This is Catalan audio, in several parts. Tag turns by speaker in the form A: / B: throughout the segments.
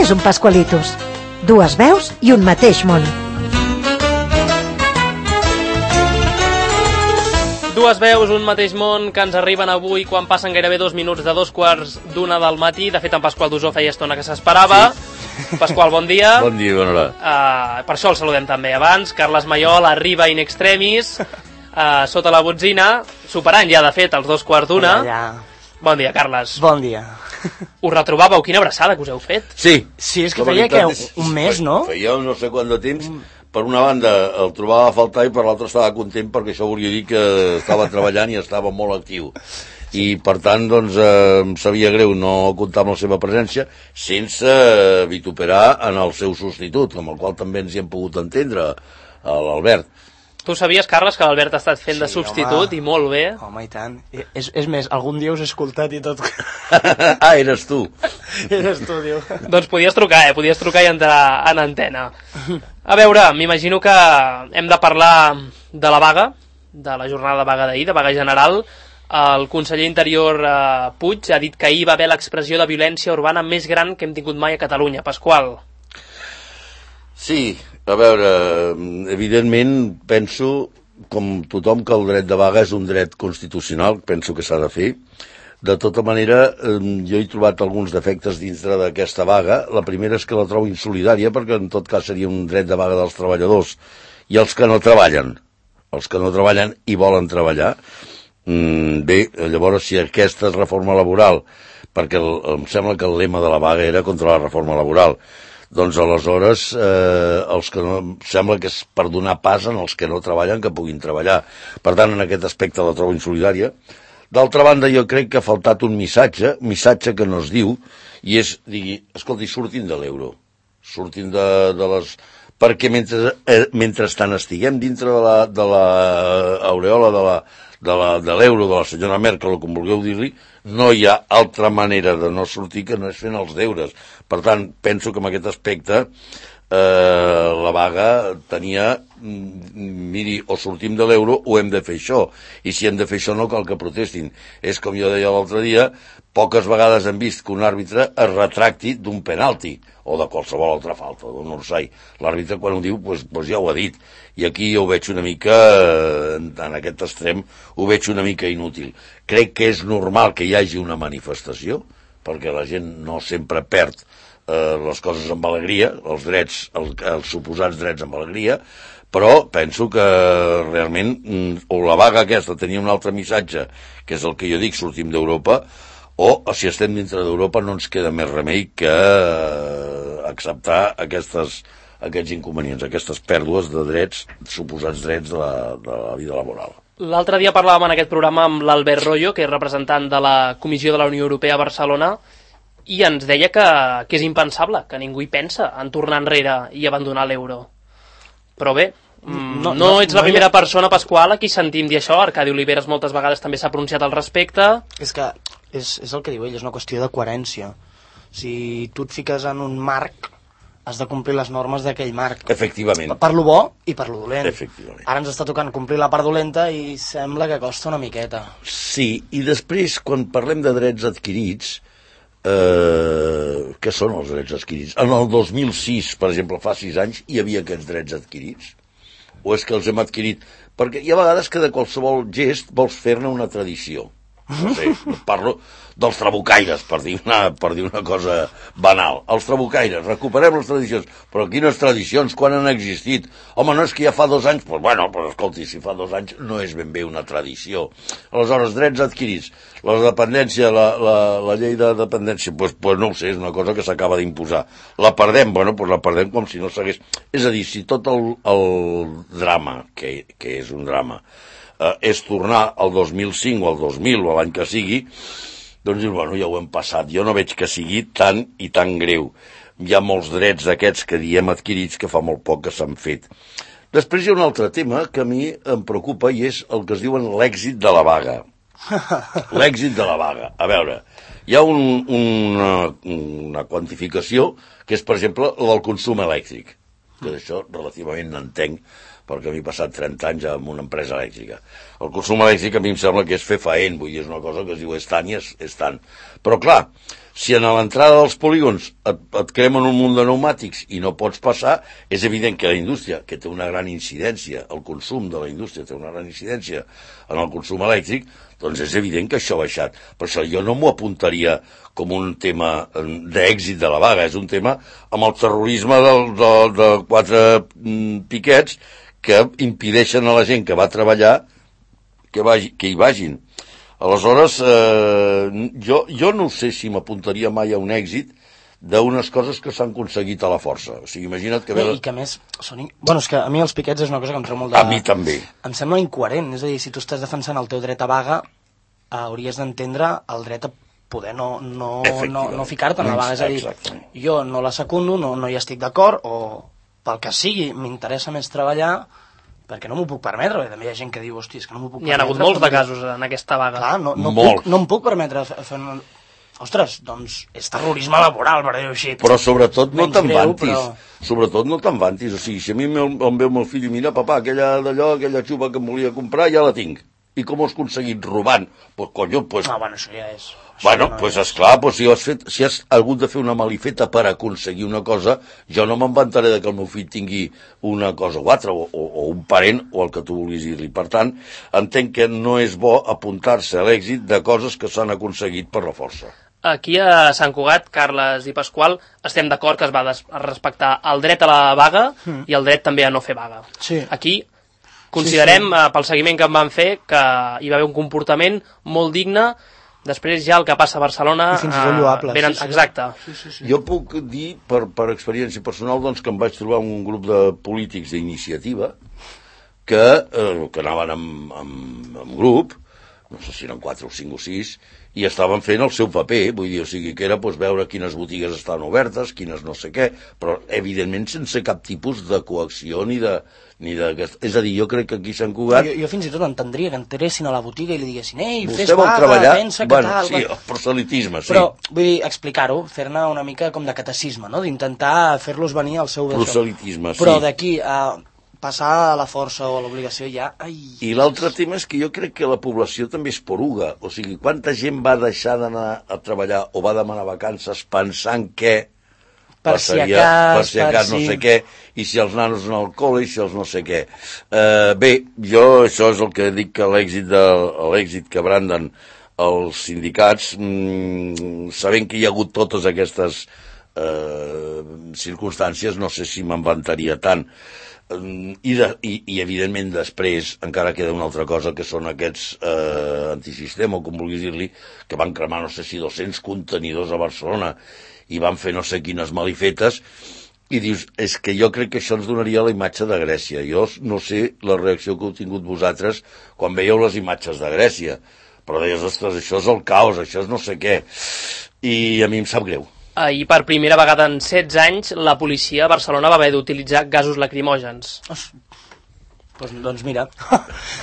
A: Què és un Pascualitos? Dues veus i un mateix món.
B: Dues veus, un mateix món, que ens arriben avui quan passen gairebé 2 minuts de 2:15 del matí. De fet, en Pasqual Dusó feia estona que s'esperava. Sí. Pasqual, bon dia.
C: Bon dia, bona hora.
B: Per això el saludem també abans. Carles Maiol arriba in extremis, sota la botzina, superant ja, de fet, els 2:15.
D: Ja.
B: Bon dia, Carles.
D: Bon dia.
B: Us retrobàveu? Quina abraçada que us heu fet.
C: Sí.
D: Sí, és que feia que un mes, no?
C: Feia no sé quant de temps. Per una banda el trobava a faltar i per l'altra estava content perquè això volia dir que estava treballant i estava molt actiu. I per tant, doncs, em sabia greu no comptar amb la seva presència sense vituperar en el seu substitut, amb el qual també ens hi hem pogut entendre, l'Albert.
B: Tu sabies, Carles, que l'Albert ha estat fent de substitut, home, i molt bé?
D: Home, i tant. És més, algun dia us he escoltat i tot.
C: Ah, eres tu.
D: Eres tu, diu.
B: Doncs podies trucar i entrar en antena. A veure, m'imagino que hem de parlar de la vaga, de la jornada de vaga d'ahir, de vaga general. El conseller Interior Puig ha dit que ahir va haver l'expressió de violència urbana més gran que hem tingut mai a Catalunya. Pasqual.
C: Sí, a veure, evidentment penso, com tothom, que el dret de vaga és un dret constitucional, penso que s'ha de fer. De tota manera, jo he trobat alguns defectes dintre d'aquesta vaga. La primera és que la trobo insolidària, perquè en tot cas seria un dret de vaga dels treballadors i els que no treballen. Els que no treballen i volen treballar. Bé, llavors, si aquesta és reforma laboral, perquè em sembla que el lema de la vaga era contra la reforma laboral, doncs aleshores els que no, sembla que és per donar pas als que no treballen que puguin treballar. Per tant, en aquest aspecte la trobo insolidària. D'altra banda, jo crec que ha faltat un missatge que no es diu, i és, digui, escolti, surtin de l'euro, surtin de les... Perquè mentrestant estiguem dintre de l'aureola de l'euro, de la senyora Merkel, o com vulgueu dir-li, no hi ha altra manera de no sortir que no és fent els deures. Per tant, penso que en aquest aspecte la vaga tenia, miri, o sortim de l'euro o hem de fer això, i si hem de fer això no cal que protestin. És com jo deia l'altre dia, poques vegades hem vist que un àrbitre es retracti d'un penalti o de qualsevol altra falta, d'un orsai. L'àrbitre quan ho diu, doncs ja ho ha dit, i aquí ho veig una mica, en aquest extrem, ho veig una mica inútil. Crec que és normal que hi hagi una manifestació, perquè la gent no sempre perd les coses amb alegria, els drets, els suposats drets amb alegria, però penso que realment o la vaga aquesta tenia un altre missatge, que és el que jo dic, sortim d'Europa, o si estem dintre d'Europa no ens queda més remei que acceptar aquests inconvenients, aquestes pèrdues de drets, suposats drets de la vida laboral.
B: L'altre dia parlàvem en aquest programa amb l'Albert Royo, que és representant de la Comissió de la Unió Europea a Barcelona, i ens deia que és impensable, que ningú hi pensa en tornar enrere i abandonar l'euro. Però bé, no ets la primera persona, Pasqual, a qui sentim dir això. Arcadi Oliveres moltes vegades també s'ha pronunciat al respecte.
D: És que és el que diu ell, és una qüestió de coherència. Si tu et fiques en un marc, has de complir les normes d'aquell marc.
C: Efectivament.
D: Per lo bo i per lo dolent.
C: Efectivament.
D: Ara ens està tocant complir la part dolenta i sembla que costa una miqueta.
C: Sí, i després, quan parlem de drets adquirits, què són els drets adquirits? En el 2006, per exemple, fa 6 anys, hi havia aquests drets adquirits? O és que els hem adquirit? Perquè hi ha vegades que de qualsevol gest vols fer-ne una tradició. No sé, parlo dels trabucaires, per dir una cosa banal. Els trabucaires, recuperem les tradicions. Però quines tradicions? Quan han existit? Home, no és que ja fa 2 anys? Doncs bueno, escolti, si fa 2 anys no és ben bé una tradició. Aleshores, drets adquirits. La dependència, la llei de dependència, doncs no ho sé, és una cosa que s'acaba d'imposar. La perdem? Bueno, doncs la perdem com si no s'hagués... És a dir, si tot el drama, que és un drama, és tornar al 2005 o al 2000 o l'any que sigui, doncs bueno, ja ho hem passat. Jo no veig que sigui tan i tan greu. Hi ha molts drets d'aquests que diem adquirits que fa molt poc que s'han fet. Després hi ha un altre tema que a mi em preocupa i és el que es diuen l'èxit de la vaga. L'èxit de la vaga. A veure, hi ha una quantificació que és, per exemple, la del consum elèctric, que d'això relativament n'entenc, perquè a mi he passat 30 anys en una empresa elèctrica. El consum elèctric a mi em sembla que és fer faent, vull dir, és una cosa que es diu és tant i és tant. Però clar, Si a l'entrada dels polígons et cremen un munt de pneumàtics i no pots passar, és evident que la indústria, que té una gran incidència, el consum de la indústria té una gran incidència en el consum elèctric, doncs és evident que això ha baixat. Per això jo no m'ho apuntaria com un tema d'èxit de la vaga, és un tema amb el terrorisme de 4 piquets que impedeixen a la gent que va treballar que hi vagin. Aleshores, jo no sé si m'apuntaria mai a un èxit d'unes coses que s'han aconseguit a la força. O sigui, imagina't que...
D: I que a més... Bueno, és que a mi els piquets és una cosa que em treu molt de...
C: A mi també.
D: Em sembla incoherent. És a dir, si tu estàs defensant el teu dret a vaga, hauries d'entendre el dret a poder no ficar-te en la vaga. És a dir, jo no la secundo, no hi estic d'acord, o pel que sigui, m'interessa més treballar perquè no m'ho puc permetre, també hi ha gent que diu, hosti, és que no m'ho puc permetre.
B: Hi ha hagut molts de casos en aquesta vaga.
D: Clar, no em puc permetre fer... Ostres, doncs és terrorisme laboral, per dir-ho així.
C: Però sobretot no te'n vantis. Sobretot no te'n vantis. O sigui, si a mi em veu meu fill i mira, papà, aquella xupa que em volia comprar, ja la tinc. I com ho has aconseguit? Robant. Pues, conyo, pues...
D: No, bueno, això ja és...
C: Bueno, pues esclar, pues si has hagut de fer una malifeta per aconseguir una cosa, jo no m'inventaré de que el meu fill tingui una cosa o altra, o un parent, o el que tu vulguis dir-li. Per tant, entenc que no és bo apuntar-se a l'èxit de coses que s'han aconseguit per la força.
B: Aquí a Sant Cugat, Carles i Pasqual, estem d'acord que es va respectar el dret a la vaga i el dret també a no fer vaga.
D: Sí.
B: Aquí considerem, pel seguiment que en van fer, que hi va haver un comportament molt digne. Després ja el que passa a Barcelona...
D: I fins i tot lloable.
B: Exacte.
D: Sí.
C: Jo puc dir, per experiència personal, doncs, que em vaig trobar un grup de polítics d'iniciativa que anaven en grup, no sé si eren 4 o 5 o 6, i estaven fent el seu paper, vull dir, o sigui, que era doncs, veure quines botigues estaven obertes, quines no sé què, però evidentment sense cap tipus de coacció ni de... És a dir, jo crec que aquí a Sant Cugat...
D: Jo fins i tot entendria que entressin a la botiga i li diguessin ei,
C: fes
D: vaga,
C: treballar...
D: pensa que tal...
C: Sí, el proselitisme, sí.
D: Però, vull dir, explicar-ho, fer-ne una mica com de catecisme, no? D'intentar fer-los venir al seu...
C: Proselitisme, sí.
D: Però d'aquí a passar a la força o a l'obligació ja... Ai.
C: I l'altre tema és que jo crec que la població també és poruga. O sigui, quanta gent va deixar d'anar a treballar o va demanar vacances pensant que
D: per si a cas
C: no sé què, i si els nanos no al col·le, i si els no sé què. Bé, jo això és el que dic, que l'èxit que branden els sindicats, sabent que hi ha hagut totes aquestes circumstàncies, no sé si m'inventaria tant. I evidentment després encara queda una altra cosa, que són aquests antisistema, o com vulguis dir-li, que van cremar no sé si 200 contenidors a Barcelona i van fer no sé quines malifetes, i dius, és que jo crec que això ens donaria la imatge de Grècia. Jo no sé la reacció que heu tingut vosaltres quan veieu les imatges de Grècia, però deies, ostres, això és el caos, això és no sé què, i a mi em sap greu.
B: Ahir, per primera vegada en 16 anys, la policia a Barcelona va haver d'utilitzar gasos lacrimògens.
D: Doncs mira.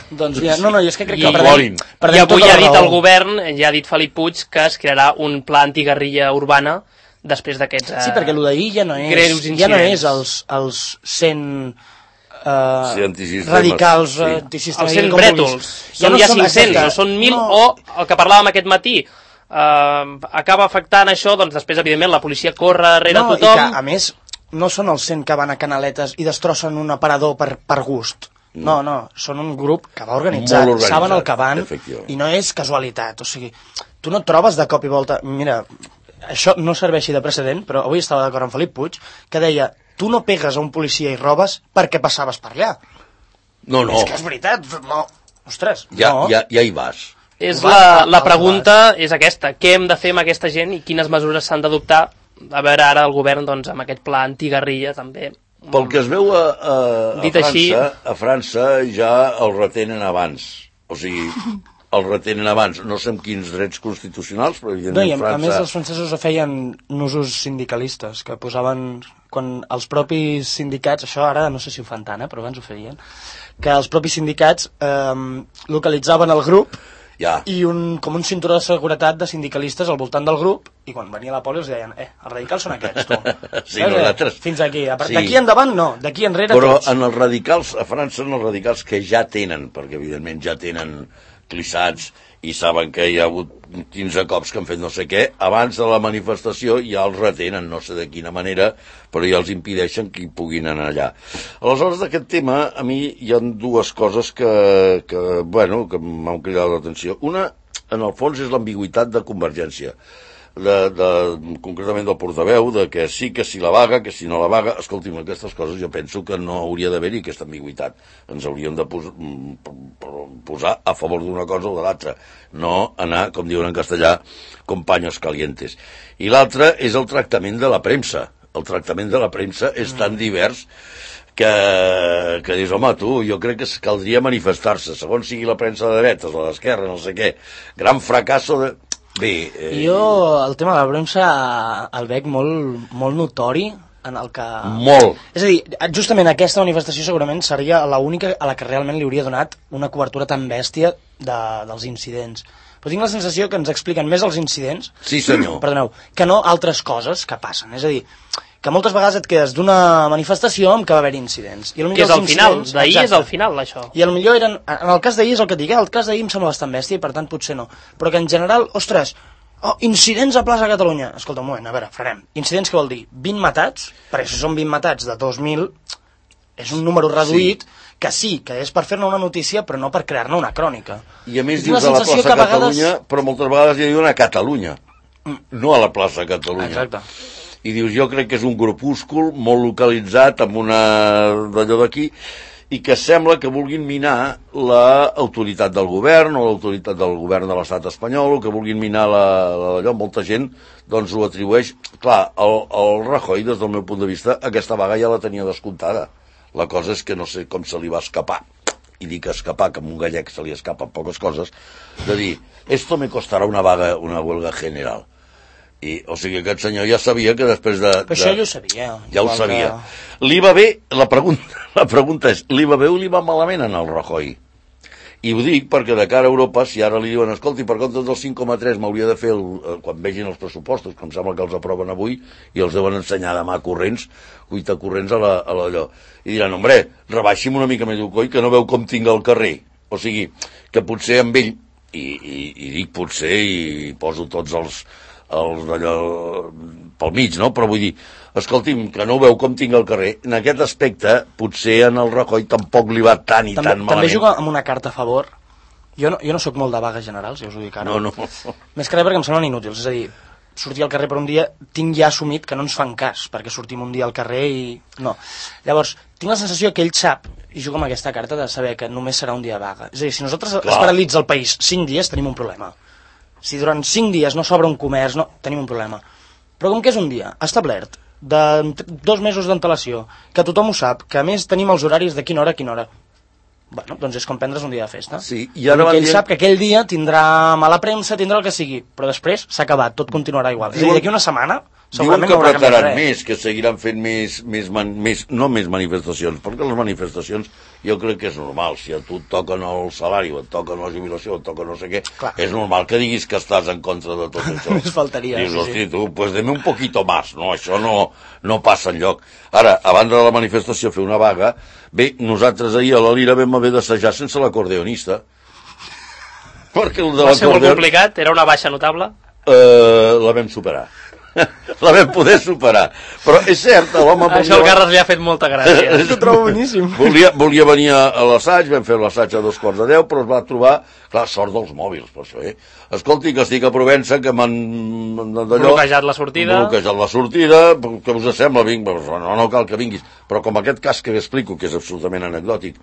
D: Doncs mira. No, jo és que crec que
B: I avui ha dit el govern, ja ha dit Felip Puig, que es crearà un pla antiguerrilla urbana després d'aquests
D: sí, perquè el d'ahir ja no és els 100 radicals antisistemes.
B: Els 100 brètols. Són ja 500, o són 1.000, o el que parlàvem aquest matí. Acaba afectant això, doncs després, evidentment, la policia corre darrere tothom.
D: I que, a més, no són els 100 que van a Canaletes i destrossen un aparador per gust. No, són un grup que va organitzat, saben el que van, i no és casualitat. O sigui, tu no et trobes de cop i volta... Mira, això no serveixi de precedent, però avui estava d'acord amb Felip Puig, que deia, tu no pegues a un policia i robes perquè passaves per allà.
C: No.
D: És que és veritat, no. Ostres,
C: ja hi vas.
B: La pregunta és aquesta, què hem de fer amb aquesta gent i quines mesures s'han d'adoptar? A veure, ara el govern, doncs, amb aquest pla antiguerrilla, també...
C: Pel que es veu a França ja el retenen abans. O sigui, el retenen abans. No sé amb quins drets constitucionals, però evidentment França...
D: A més, els francesos feien nusos sindicalistes, que posaven... Quan els propis sindicats, això ara no sé si ho fan tant, però abans ho feien, que els propis sindicats localitzaven el grup i com un cinturó de seguretat de sindicalistes al voltant del grup, i quan venia la poli els deien, els radicals són aquests, tu.
C: Sí, nosaltres...
D: Fins aquí. D'aquí endavant no, d'aquí enrere
C: però
D: tots.
C: Però en els radicals, a França, en els radicals que ja tenen, perquè evidentment ja tenen clissats i saben que hi ha hagut 15 cops que han fet no sé què, abans de la manifestació ja els retenen, no sé de quina manera, però ja els impedeixen que hi puguin anar allà. Aleshores, d'aquest tema, a mi hi ha dues coses que m'han cridat l'atenció. Una, en el fons, és l'ambigüitat de Convergència. Concretament del portaveu, de que sí, que si la vaga, que si no la vaga. Escolti'm, aquestes coses jo penso que no hauria d'haver-hi aquesta ambigüitat. Ens hauríem de posar a favor d'una cosa o de l'altra, no anar, com diuen en castellà, con paños calientes. I l'altre és el tractament de la premsa. El tractament de la premsa és tan divers que dius, home, tu, jo crec que caldria manifestar-se, segons sigui la premsa de dretes o d'esquerra, no sé què. Gran fracasso de... Bé,
D: jo el tema de la premsa el veig molt notori en el que...
C: Molt.
D: És a dir, justament aquesta manifestació segurament seria l'única a la que realment li hauria donat una cobertura tan bèstia dels incidents. Però tinc la sensació que ens expliquen més els incidents,
C: sí, senyor,
D: perdoneu, que no altres coses que passen. És a dir, que moltes vegades et quedes d'una manifestació amb què va haver incidents. I
B: que és el final, d'ahir és el final, això.
D: I potser eren, en el cas d'ahir és el que et dic, el cas d'ahir em sembla bastant bèstia i per tant potser no. Però que en general, ostres, incidents a plaça Catalunya. Escolta, un moment, a veure, farem. Incidents què vol dir? 20 matats? Perquè si són 20 matats de 2.000, és un número reduït, sí, que és per fer-ne una notícia, però no per crear-ne una crònica.
C: I a més dius a la plaça Catalunya, però moltes vegades hi diuen a Catalunya, no a la plaça Catalunya.
D: Exacte.
C: I dius, jo crec que és un grupúscul molt localitzat amb una d'allò d'aquí i que sembla que vulguin minar l'autoritat del govern o l'autoritat del govern de l'estat espanyol o que vulguin minar allò. Molta gent doncs ho atribueix. Clar, el Rajoy, des del meu punt de vista, aquesta vaga ja la tenia descomptada. La cosa és que no sé com se li va escapar, i dic escapar, que a un gallec se li escapen poques coses, de dir, esto me costarà una huelga general. O sigui, aquest senyor ja sabia que després de...
D: Però això ja ho sabia.
C: Ja ho sabia. Li va bé, la pregunta és, li va bé o li va malament en el Rajoy? I ho dic perquè de cara a Europa, si ara li diuen, escolti, per compte dels 5,3 m'hauria de fer, quan vegin els pressupostos, que em sembla que els aproven avui, i els deuen ensenyar demà corrents, cuita corrents a l'allò. I diran, hombre, rebaixi'm una mica més el coll, que no veu com tinc el carrer. O sigui, que potser amb ell, i dic potser, i poso tots els d'allò pel mig, no? Però vull dir, escolti'm, que no veu com tinc el carrer. En aquest aspecte, potser en el Rajoy tampoc li va tan tan malament.
D: També juga amb una carta a favor. Jo no sóc molt de vagues generals, ja us ho dic ara.
C: No.
D: Més que res perquè em semblen inútils. És a dir, sortir al carrer per un dia, tinc ja assumit que no ens fan cas, perquè sortim un dia al carrer i... No. Llavors, tinc la sensació que ell sap, i juga amb aquesta carta, de saber que només serà un dia de vaga. És a dir, si nosaltres es paralitza el país 5 dies, tenim un problema. Si durant 5 dies no s'obre un comerç, tenim un problema. Però com que és un dia establert, de 2 mesos d'antelació, que tothom ho sap, que a més tenim els horaris de quina hora a quina hora, bueno, doncs és com prendre's un dia de festa.
C: Sí, i ara
D: ell sap que aquell dia tindrà mala premsa, tindrà el que sigui, però després s'ha acabat, tot continuarà igual. És a dir, d'aquí una setmana...
C: Diuen que apretaran més, que seguiran fent no més manifestacions, perquè les manifestacions jo crec que és normal. Si a tu et toquen el salari, o et toquen la jubilació, o et toquen no sé què, clar, és normal que diguis que estàs en contra de tot això.
D: Només faltaria.
C: Dius, hosti, tu, pues deme un poquito más, no? Això no passa enlloc. Ara, abans de la manifestació fer una vaga, bé, nosaltres ahir a la Lira vam haver d'assajar sense l'acordeonista.
B: Perquè el de va ser molt complicat, era una baixa notable?
C: La vam superar. La vam poder superar. Però és cert, l'home...
B: Això al Carles li ha fet molta gràcia.
D: Ho trobo boníssim.
C: Volia venir a l'assaig, vam fer l'assaig a 2:45, però es va trobar... Clar, sort dels mòbils, per això, Escolti, que estic a Provença, que m'han...
B: bloquejat la sortida.
C: Que us sembla? No cal que vinguis. Però com aquest cas que explico, que és absolutament anecdòtic,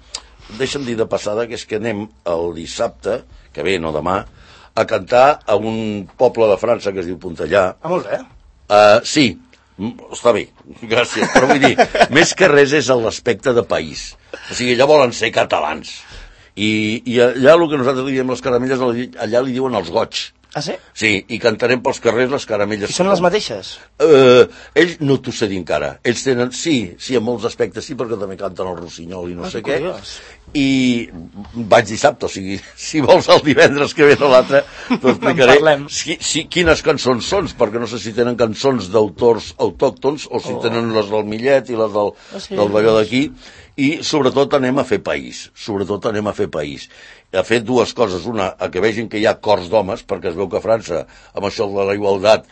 C: deixa'm dir de passada que és que anem el dissabte, que ve, no demà, a cantar a un poble de França que es diu Pontellà.
D: Molt bé.
C: Sí, està bé, gràcies, però vull dir, més que res és l'aspecte de país. O sigui, allà volen ser catalans. I allà el que nosaltres li diem les caramelles, allà li diuen els goig.
D: Ah, sí?
C: Sí, i cantarem pels carrers les caramelles.
D: I són les mateixes?
C: Ells no t'ho sé dir encara. Ells tenen, sí, en molts aspectes sí, perquè també canten el rossinyol i no sé què. I vaig dissabte, o sigui, si vols el divendres que ve o l'altre, t'ho explicaré quines cançons són, perquè no sé si tenen cançons d'autors autòctons o si tenen les del Millet i les del Balló d'aquí. I sobretot anem a fer país, ha fet dues coses, una, que vegin que hi ha cors d'homes, perquè es veu que a França, amb això de la igualtat,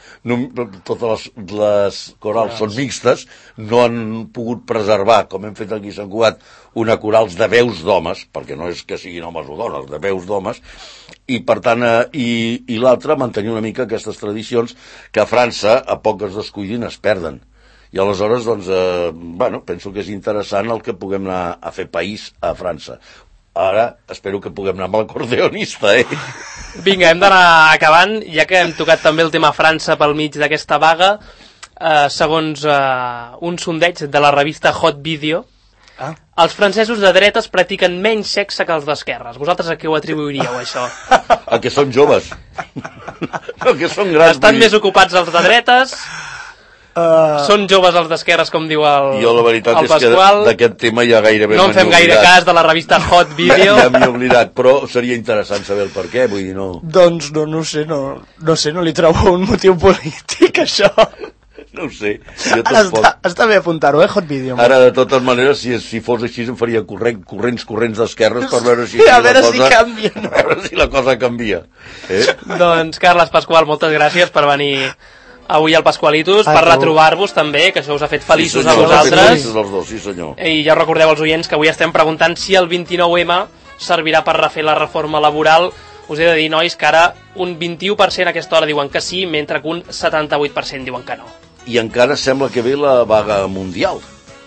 C: totes les corals són mixtes, no han pogut preservar, com hem fet aquí a Sant Cugat, una corals de veus d'homes, perquè no és que siguin homes o dones, de veus d'homes, i per tant, i l'altra, mantenir una mica aquestes tradicions que a França, a poc es descuidin, es perden. I aleshores, doncs, penso que és interessant el que puguem anar a fer país a França. Ara espero que puguem anar amb l'acordeonista,
B: Vinga, hem d'anar acabant, ja que hem tocat també el tema França pel mig d'aquesta vaga. Segons un sondeig de la revista Hot Video, els francesos de dretes practiquen menys sexe que els d'esquerres. Vosaltres a què ho atribuiríeu, això?
C: A que són joves. A que són grans.
B: Estan més ocupats els de dretes... Són joves els d'esquerres, com diu el Pasqual.
C: Jo la veritat és que d'aquest tema ja gairebé
B: no en fem gaire cas de la revista Hot Video.
C: Ja m'he oblidat, però seria interessant saber el per què, vull dir, no...
D: Doncs no sé, no li trobo un motiu polític, això.
C: No ho sé.
D: Està bé apuntar-ho, Hot Video.
C: Ara, de totes maneres, si fos així, em faria corrents d'esquerres per veure si
D: canvia.
C: A veure si la cosa canvia.
B: Doncs, Carles, Pasqual, moltes gràcies per venir avui al Pasqualitos, per retrobar-vos també, que això us ha fet feliços a vosaltres.
C: Sí, senyor.
B: I ja recordeu als oients que avui estem preguntant si el 29M servirà per refer la reforma laboral. Us he de dir, nois, que ara un 21% a aquesta hora diuen que sí, mentre que un 78% diuen que no.
C: I encara sembla que ve la vaga mundial.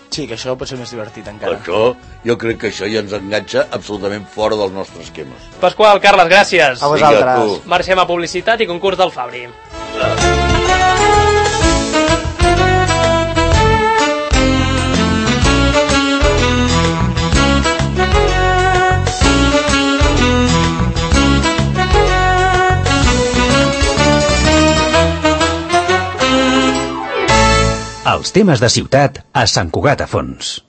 D: Sí, que això pot ser més divertit encara.
C: Això, jo crec que això ja ens enganxa absolutament fora dels nostres esquemes.
B: Pasqual, Carles, gràcies.
D: A vosaltres.
B: Marxem a publicitat i concurs del Fabri.
E: Els temes de ciutat a Sant Cugat a Fons.